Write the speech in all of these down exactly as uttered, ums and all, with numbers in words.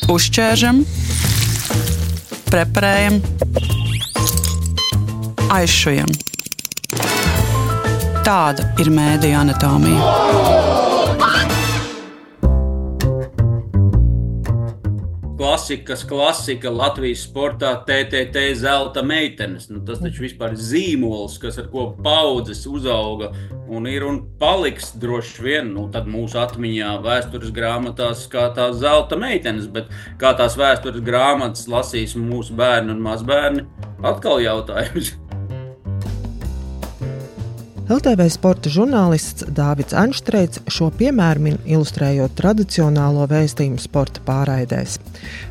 Uzķēršam, preparējam, aizšujam. Tāda ir mēdīju anatomija. Klasikas klasika Latvijas sportā T T T zelta meitenes. Nu, tas taču vispār ir zīmols, kas ar ko paudzes uzauga un ir un paliks droši vien, nu, tad mūsu atmiņā vēstures grāmatās kā tās zelta meitenes, bet kā tās vēstures grāmatas lasīs mūsu bērni un mazbērni, atkal jautājums. L T V sporta žurnālists Dāvids Anštreits šo piemēru min ilustrējot tradicionālo vēstījumu sporta pārraidēs.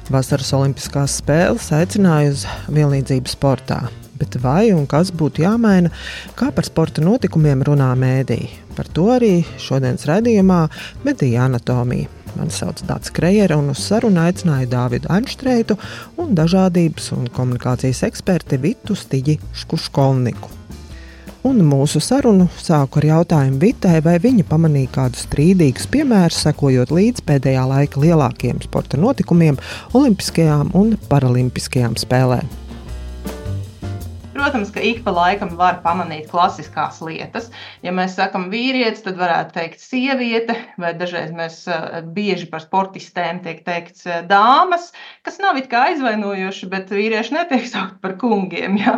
Vasaras olimpiskās spēles aicināja uz vienlīdzību sportā. Bet vai un kas būtu jāmaina, kā par sporta notikumiem runā mēdīji? Par to arī šodienas raidījumā Mēdīju anatomija. Mani sauc Dāts Krejere un uz sarunu aicināju Dāvidu Anštreitu un dažādības un komunikācijas eksperti Vitu Stiģi Škuškovniku. Un mūsu sarunu sāku ar jautājumu Vitai, vai viņa pamanīja kādus strīdīgus piemērus, sekojot līdz pēdējā laika lielākajiem sporta notikumiem, olimpiskajām un paralimpiskajām spēlēm. Protams, ka ik pa laikam var pamanīt klasiskās lietas. Ja mēs sakam vīrietis, tad varētu teikt sieviete, vai dažreiz mēs bieži par sportistēm tiek teikts dāmas, kas nav it kā aizvainojoši, bet vīrieši netiek saukt par kungiem. Ja?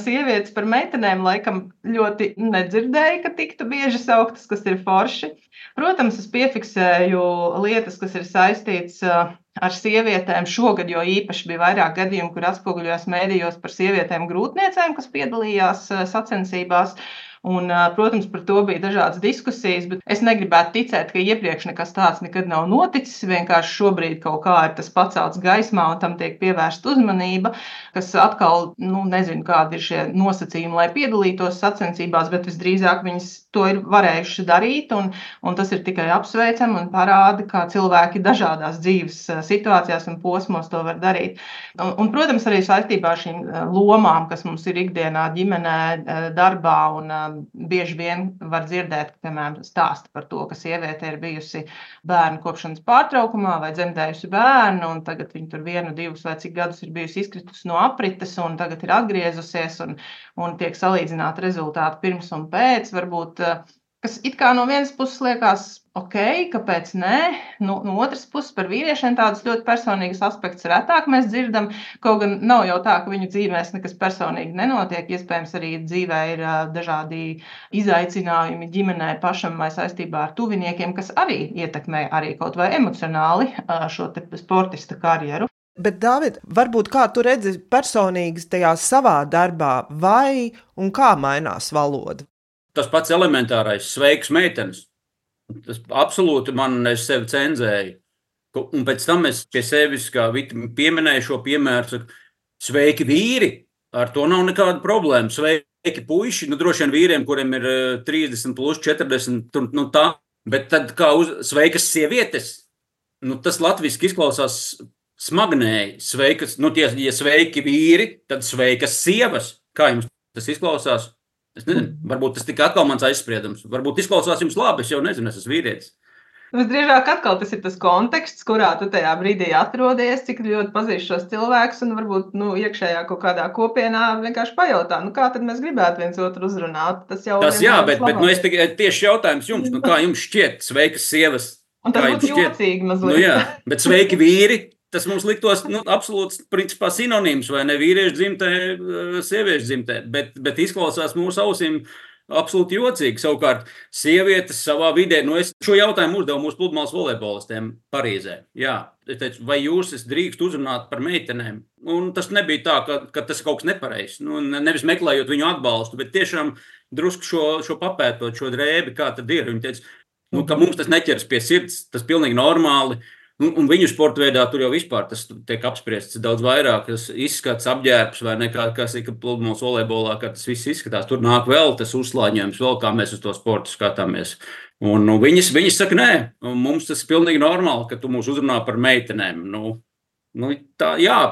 Sievietes par meitenēm laikam ļoti nedzirdēja, ka tiktu bieži sauktas, kas ir forši. Protams, es piefiksēju lietas, kas ir saistīts ar sievietēm. Šogad jo īpaši bija vairāk gadījumu, kur atspoguļojās mēdījos par sievietēm grūtniecēm, kas piedalījās sacensībās. Un, protams, par to bija dažādas diskusijas, bet es negribētu ticēt, ka iepriekš nekas tāds nekad nav noticis. Vienkārši šobrīd kaut kā ir tas pacelts gaismā un tam tiek pievērsta uzmanība, kas atkal, nu, nezinu, kādi ir šie nosacījumi, lai piedalītos sacensībās, bet visdrīzāk viņas to ir varējuši darīt, un, un tas ir tikai apsveicami un parāda, kā cilvēki dažādās dzīves situācijās un posmos to var darīt. Un, un protams, arī saistībā ar šīm lomām, kas mums ir ikdienā, ģimenē, darbā, un bieži vien var dzirdēt, ka, piemēram, stāsta par to, ka sieviete ir bijusi bērnu kopšanas pārtraukumā vai dzemdējusi bērnu, un tagad viņa tur vienu, divus vai cik gadus ir bijusi izkritusi no aprites, un tagad ir atgriezusies, un, un tiek salīdzināti rezultāti pirms un pēc, varbūt, kas it kā no vienas puses liekas ok, kāpēc nē, no, no otras puses par vīriešiem tādus ļoti personīgus aspektus retāk mēs dzirdam, kaut gan nav jau tā, ka viņu dzīvēs nekas personīgi nenotiek, iespējams arī dzīvē ir dažādi izaicinājumi ģimenē pašam vai saistībā ar tuviniekiem, kas arī ietekmē arī kaut vai emocionāli šo te sportista karjeru. Bet, Dāvid, varbūt kā tu redzi personīgi tajā savā darbā, vai un kā mainās valoda? Tas pats elementārais sveiks meitenes. Tas absolūti man es sevi cenzēju. Un pēc tam es pie sevis, kā Vita pieminēju šo piemēru, saku, sveiki vīri, ar to nav nekāda problēma. Sveiki puiši, nu droši vien vīriem, kuriem ir trīsdesmit plus četrdesmit, nu tā. Bet tad kā uz sveikas sievietes, nu tas latviski izklausās smagnēji. Sveikas, nu tie, ja sveiki vīri, tad sveikas sievas. Kā jums tas izklausās? Es nezinu, varbūt tas tika atkal mans aizspriedums. Varbūt izklausās jums labi, es jau nezinu, es esmu vīrietis. Visdrīzāk atkal tas ir tas konteksts, kurā tu tajā brīdī atrodies, cik ļoti pazīst šos cilvēkus un varbūt nu, iekšējā kaut kādā kopienā vienkārši pajautā, nu kā tad mēs gribētu viens otru uzrunāt. Tas jau tas jā, bet, bet nu, es tieši jautājums jums, nu kā jums šķiet sveikas sieviešu? Un tas būtu jocīgi mazliet. Nu jā, bet sveiki vīri. Tas mums liktos nu, absolūts principā sinonīms, vai ne vīriešu dzimtē, sieviešu dzimtē, bet, bet izklausās mūsu ausīm absolūti jocīgi. Savukārt sievietes savā vidē, nu es šo jautājumu uzdevu mūsu pludmales volejbolistiem Parīzē. Jā, es teicu, vai jūs es drīkst uzrunāt par meitenēm? Un tas nebija tā, ka, ka tas kaut kas nepareizs. Nu, nevis meklējot viņu atbalstu, bet tiešām drusku šo, šo papētot, šo drēbi, kā tad ir. Viņi teica, nu, ka mums tas neķers pie sirds, tas pilnīgi normāli. Un, un viņu sporta veidā tur jau vispār tas tiek apspriests daudz vairāk, tas izskats, apģērbs vai nekā, kas ir pludmales volejbolā, kā tas viss izskatās. Tur nāk vēl tas uzslāņojums, vēl kā mēs uz to sportu skatāmies. Un nu, viņas, viņas saka, nē, mums tas ir pilnīgi normāli, ka tu mūs uzrunā par meitenēm. Nu, nu, tā, jā,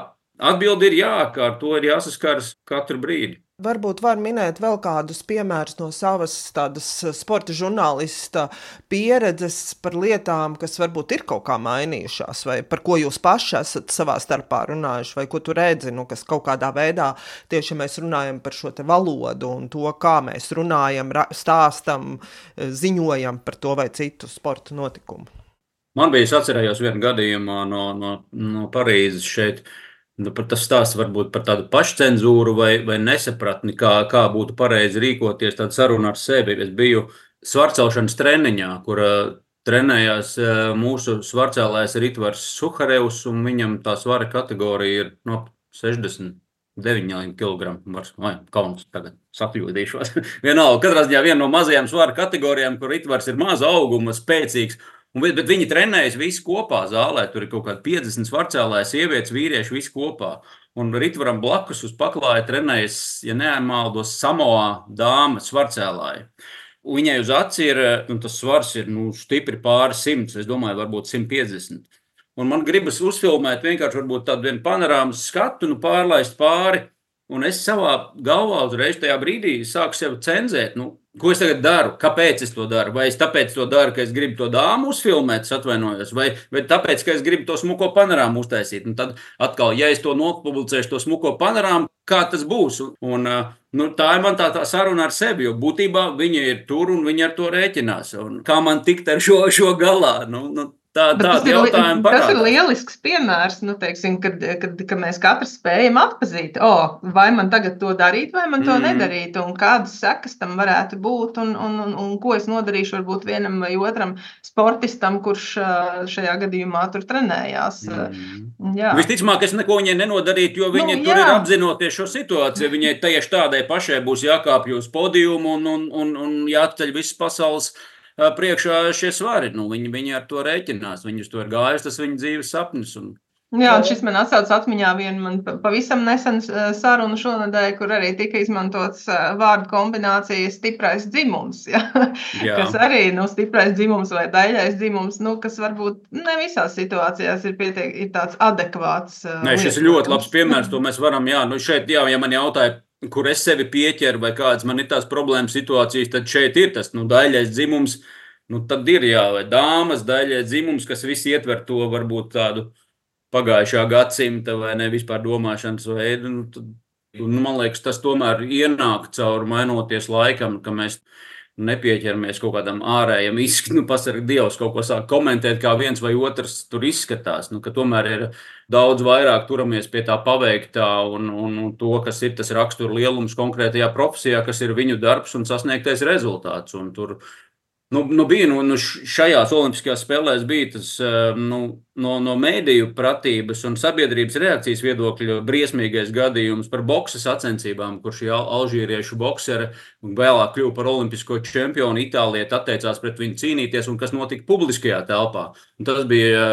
atbildi ir jā, ka ar to ir jāsaskaras katru brīdi. Varbūt var minēt vēl kādus piemērus no savas tādas sporta žurnālista pieredzes par lietām, kas varbūt ir kaut kā mainījušās, vai par ko jūs paši esat savā starpā runājuši, vai ko tu redzi, nu, kas kaut kādā veidā tieši mēs runājam par šo te valodu un to, kā mēs runājam, stāstam, ziņojam par to vai citu sporta notikumu. Man bija, es atcerējos vienu gadījumu no, no, no Parīzes šeit. Nu, tas stāsts varbūt par tādu pašcenzūru vai, vai nesapratni, kā, kā būtu pareizi rīkoties, tāda saruna ar sevi. Es biju svarcelšanas treniņā, kur uh, trenējās uh, mūsu svarcēlājs Ritvars Suharevs, un viņam tā svara kategorija ir no sešdesmit deviņi kilogrami. Vai, kauns tagad sakļūdīšos. Vienalga, katrā ziņā viena no mazajām svara kategorijām, kur Ritvars ir maza auguma, spēcīgs. Un, bet viņi trenējas visi kopā zālē, tur ir kaut kādi piecdesmit svarcēlāji, sievietes, vīrieši, visi kopā. Un Ritvaram blakus uz paklāja trenējas, ja nemaldos, Samoā dāma svarcēlāji. Viņai uz aci ir, un tas svars ir nu, stipri pāri simts, es domāju, varbūt simt piecdesmit. Un man gribas uzfilmēt vienkārši varbūt tādu vienu panorāmas skatu, nu pārlaist pāri. Un es savā galvā uzreiz tajā brīdī sāku sev cenzēt, nu, ko es tagad daru, kāpēc es to daru, vai es tāpēc to daru, ka es gribu to dāmu uzfilmēt, es atvainojos, vai, vai tāpēc, ka es gribu to smuko panorāmu uztaisīt. Un tad atkal, ja es to nopublicēšu, to smuko panorāmu, kā tas būs? Un, nu, tā ir man tā, tā saruna ar sevi, jo būtībā viņi ir tur un viņi ar to rēķinās. Un kā man tikt ar šo, šo galā? Nu, nu, Tā, tas, ir, tas ir lielisks piemērs, nu, teiksim, kad, kad, kad mēs katrs spējam atpazīt, oh, vai man tagad to darīt, vai man to mm. nedarīt, un kādas sekas tam varētu būt, un, un, un, un ko es nodarīšu varbūt vienam vai otram sportistam, kurš šajā gadījumā tur trenējās. Mm. Visticamāk, es neko viņai nenodarītu, jo viņi nu, tur jā. ir apzinoties šo situāciju. Viņai tieši tādai pašai būs jākāpj uz podiumu un, un, un, un jāceļ visas pasaules priekšā šie svari. Nu, viņi, viņi ar to rēķinās. Viņus to ir gājis, tas viņa dzīves sapnis. Un... Jā, un šis man atsauc atmiņā vienu man pavisam nesen sarunu šonadēļ, kur arī tika izmantots vārdu kombinācija stiprais dzimums. Ja? Jā. Kas arī, nu, stiprais dzimums vai daļais dzimums, nu, kas varbūt ne visās situācijās ir, pietiek, ir tāds adekvāts. Nē, šis ir ļoti labs piemērs, to mēs varam, jā, nu šeit, jā, ja man jautāja, kur es sevi pieķeru vai kādas man ir tās problēmas situācijas, tad šeit ir tas, nu, daļais dzimums, nu, tad ir, jā, vai dāmas, daļais dzimums, kas visi ietver to varbūt tādu pagājušā gadsimta vai ne vispār domāšanas veidu, nu, tad, nu, man liekas, tas tomēr ienāk caur mainoties laikam, ka mēs nepieķeramies kaut kādam ārējam izskatu, nu, pasarg Dievs kaut ko sāk komentēt, kā viens vai otrs tur izskatās, nu, ka tomēr ir daudz vairāk turamies pie tā paveiktā un, un, un to, kas ir tas rakstura lielums konkrētajā profesijā, kas ir viņu darbs un sasniegtais rezultāts. Un tur, nu, nu bija, nu, nu šajās olimpiskajās spēlēs bija tas, nu, no, no mēdīju pratības un sabiedrības reakcijas viedokļa briesmīgais gadījums par boksa sacensībām, kur šī alžīriešu boksere vēlāk kļuva par olimpisko čempionu, Itālieta atteicās pret viņu cīnīties un kas notika publiskajā telpā. Un tas bija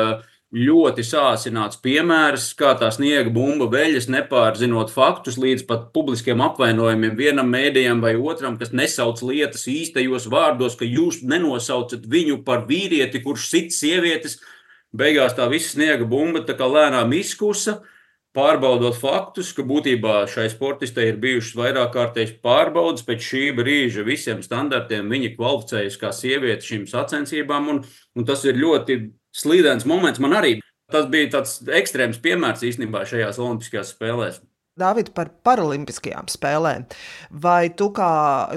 ļoti sāsināts piemērs, kā tā sniega bumba veļas, nepārzinot faktus līdz pat publiskiem apvainojumiem vienam mēdījam vai otram, kas nesauc lietas īstajos vārdos, ka jūs nenosaucat viņu par vīrieti, kurš sit sievietes. Beigās tā visa sniega bumba tā kā lēnām izkusa, pārbaudot faktus, ka būtībā šai sportistei ir bijušas vairāk kārtējas pārbaudas, pēc šī brīža visiem standartiem viņa kvalificējas kā sieviete šīm sacensībām, un, un tas ir ļoti slīdens moments man arī. Tas bija tāds ekstrēms piemērs īstenībā šajās olimpiskajās spēlēs. Dāvid, par paralimpiskajām spēlēm. Vai tu kā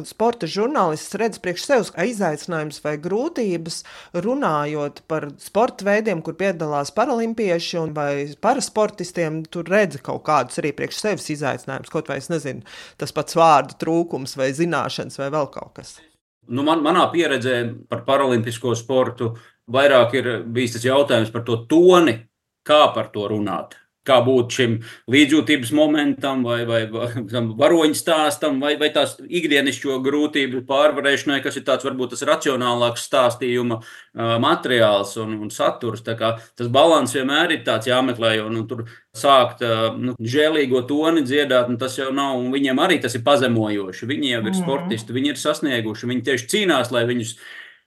sporta žurnālists redzi priekš sevis izaicinājums vai grūtības runājot par sporta veidiem, kur piedalās paralimpieši un vai parasportistiem, tur redzi kaut kādus arī priekš sevis izaicinājumus, kaut vai es nezinu, tas pats vārdu trūkums vai zināšanas vai vēl kaut kas? Nu, man, manā pieredzē par paralimpisko sportu vairāk ir bijis tas jautājums par to toni, kā par to runāt. Kā būt šim līdzjūtības momentam vai, vai, vai varoņu stāstam vai, vai tās ikdienišķo grūtību pārvarēšanai, kas ir tāds varbūt tas racionālāks stāstījuma uh, materiāls un, un saturs. Tā kā tas balans vienmēr ir tāds jāmeklē, un, un tur sākt uh, nu, žēlīgo toni dziedāt, un tas jau nav, un viņiem arī tas ir pazemojoši. Viņi jau ir sportisti, viņi ir sasnieguši, viņi tieši cīnās, lai viņus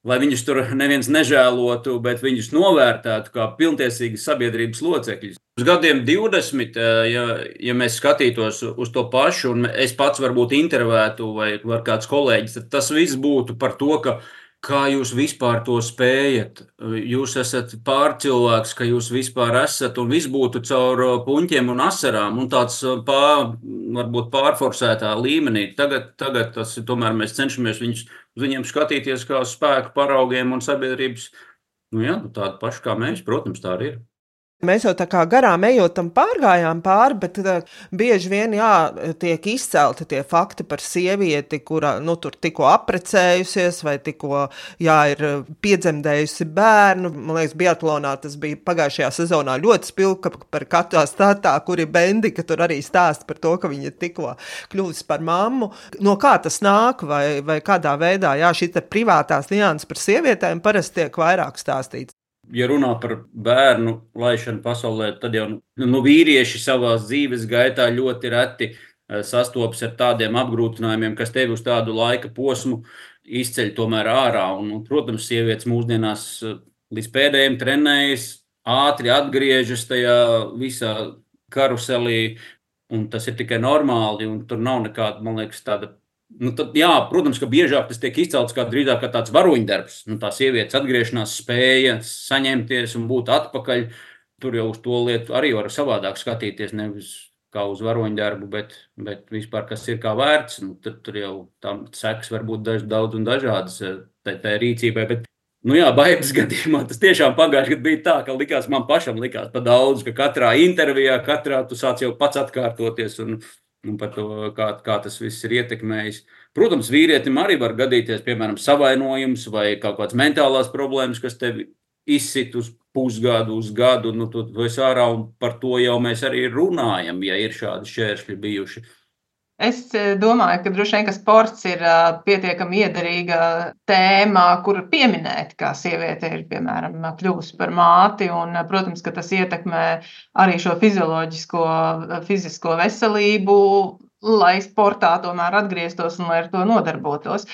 lai viņus tur neviens nežēlotu, bet viņus novērtētu kā pilntiesīgas sabiedrības locekļus. Uz gadiem divdesmit, ja, ja mēs skatītos uz to pašu, un es pats varbūt intervētu vai var kāds kolēģis, tad tas viss būtu par to, ka kā jūs vispār to spējat? Jūs esat pārcilvēks, ka jūs vispār esat, un viss būtu caur puņķiem un asarām, un tāds pār, varbūt pārforsētā līmenī. Tagad, tagad tas, tomēr mēs cenšamies viņus, uz viņiem skatīties kā spēku paraugiem un sabiedrības, nu jā, tādu pašu kā mēs, protams, tā arī ir. Mēs jau tā kā garām ejot tam pārgājām pāri, bet uh, bieži vien jā, tiek izcelti tie fakti par sievieti, kura nu, tur tikko aprecējusies vai tikko jā, ir piedzemdējusi bērnu. Man liekas, biatlonā tas bija pagājušajā sezonā ļoti spilgti par katrā statā, kur ir Bendika, tur arī stāst par to, ka viņa tikko kļuvusi par mammu. No kā tas nāk vai, vai kādā veidā, jā, šī te privātās nianses par sievietēm parasti tiek vairāk stāstīts. Ja runā par bērnu laišanu pasaulē, tad jau nu, vīrieši savās dzīves gaitā ļoti reti sastopas ar tādiem apgrūtinājumiem, kas tevi uz tādu laika posmu izceļ tomēr ārā. Un, protams, sievietes mūsdienās līdz pēdējiem trenējas, ātri atgriežas tajā visā karuselī, un tas ir tikai normāli, un tur nav nekāda, man liekas, tāda. Nu, tad, jā, protams, ka biežāk tas tiek izcelts kā drīzāk kā tāds varoņdarbs. Nu, tā sievietes atgriešanās spēja saņemties un būt atpakaļ. Tur jau uz to lietu arī var savādāk skatīties, nevis kā uz varoņdarbu, bet, bet vispār kas ir kā vērts. Nu, tad tur jau tam sekas var būt daž, daudz un dažādas tai, tai rīcībai. Bet, nu jā, Baidas gadījumā tas tiešām pagājuši gadu bija tā, ka likās man pašam likās pa daudz, ka katrā intervijā, katrā tu sāc jau pats atkārtoties un un par to, kā, kā tas viss ir ietekmējis. Protams, vīrietim arī var gadīties, piemēram, savainojums vai kaut kāds mentālās problēmas, kas tevi izsit uz pusgadu, uz gadu, nu tu esi ārā, un par to jau mēs arī runājam, ja ir šādi šķēršļi bijuši. Es domāju, ka droši vien, ka sports ir pietiekami iederīga tēma, kur pieminēt, kā sieviete ir, piemēram, kļuvusi par māti, un, protams, ka tas ietekmē arī šo fizioloģisko, fizisko veselību, lai sportā tomēr atgrieztos un lai ar to nodarbotos.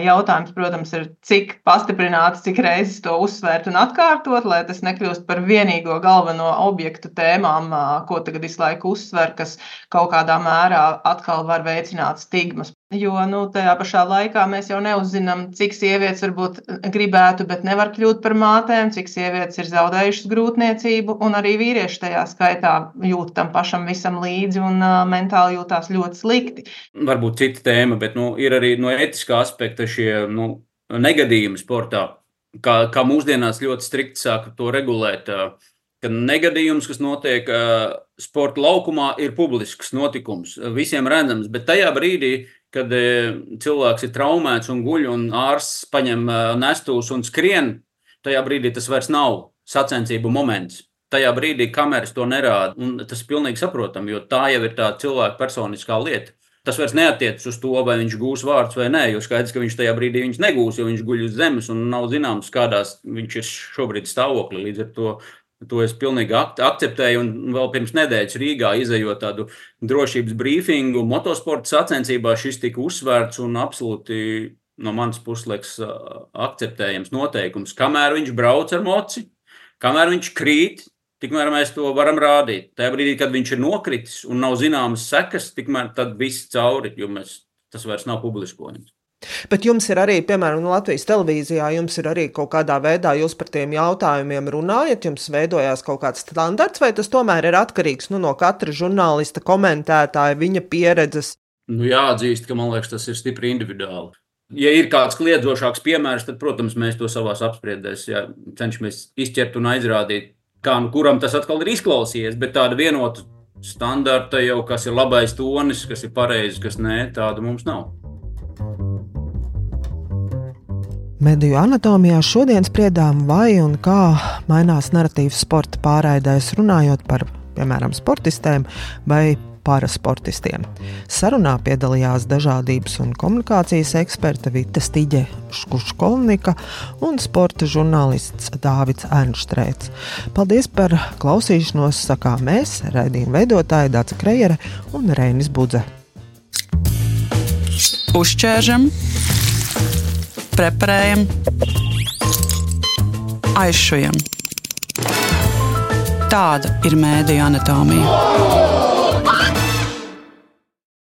Jautājums, protams, ir, cik pastiprināts, cik reizes to uzsvērt un atkārtot, lai tas nekļūst par vienīgo galveno objektu tēmām, ko tagad visu laiku uzsver, kas kaut kādā mērā atkal var veicināt stigmas. Jo nu, tajā pašā laikā mēs jau neuzzinām, cik sievietes varbūt gribētu, bet nevar kļūt par mātēm, cik sievietes ir zaudējušas grūtniecību, un arī vīrieši tajā skaitā jūt tam pašam visam līdzi un uh, mentāli jūtās ļoti slikti. Varbūt cita tēma, bet nu, ir arī no etiskā aspekta šie nu, negadījumi sportā, kā, kā mūsdienās ļoti strikti sāka to regulēt, uh, ka negadījums, kas notiek uh, sporta laukumā, ir publisks notikums, visiem redzams, bet tajā brīdī, kad cilvēks ir traumēts un guļ un ārsts paņem nestūs un skrien, tajā brīdī tas vairs nav sacensību moments. Tajā brīdī kameras to nerāda, un tas ir pilnīgi saprotam, jo tā jau ir tā cilvēka personiskā lieta. Tas vairs neatiecas uz to, vai viņš gūs vārdus vai nē, jo skaidrs, ka viņš tajā brīdī viņš negūs, jo viņš guļ uz zemes un nav zināms, kādās viņš ir šobrīd stāvokli. Līdz ar to To es pilnīgi akceptēju, un vēl pirms nedēļas Rīgā izejot tādu drošības brīfingu motosporta sacensībā, šis tika uzsvērts un absolūti no manas puses liekas akceptējams noteikums. Kamēr viņš brauc ar moci, kamēr viņš krīt, tikmēr mēs to varam rādīt. Tajā brīdī, kad viņš ir nokritis un nav zināmas sekas, tikmēr tad viss cauri, jo mēs, tas vairs nav publiskojums. Bet jums ir arī, piemēram, Latvijas televīzijā, jums ir arī kaut kādā veidā, jūs par tiem jautājumiem runājat, jums veidojās kaut kāds standarts, vai tas tomēr ir atkarīgs nu, no katra žurnālista, komentētāja, viņa pieredzes? Nu, jāatzīst, ka man liekas, tas ir stipri individuāli. Ja ir kāds kliedzošāks piemērs, tad, protams, mēs to savās apspriedēs ja, cenšamies izķert un aizrādīt, kā nu kuram tas atkal ir izklausījies, bet tāda vienota standarta jau, kas ir labais tonis, kas ir pareizi, kas nē, tāda mums nav. Mediju anatomijā šodien spriedām, vai un kā mainās naratīvs sporta pārraidēs, runājot par, piemēram, sportistēm vai parasportistiem. Sarunā piedalījās dažādības un komunikācijas eksperta Vita Stiģe Škuškolnika un sporta žurnālists Dāvids Ernštreits. Paldies par klausīšanos, sakām mēs, raidījuma veidotāji Dace Krejere un Reinis Budze. Uzķēržam, preparējam, Aizšujam. Tāda ir mēdīju anatomija.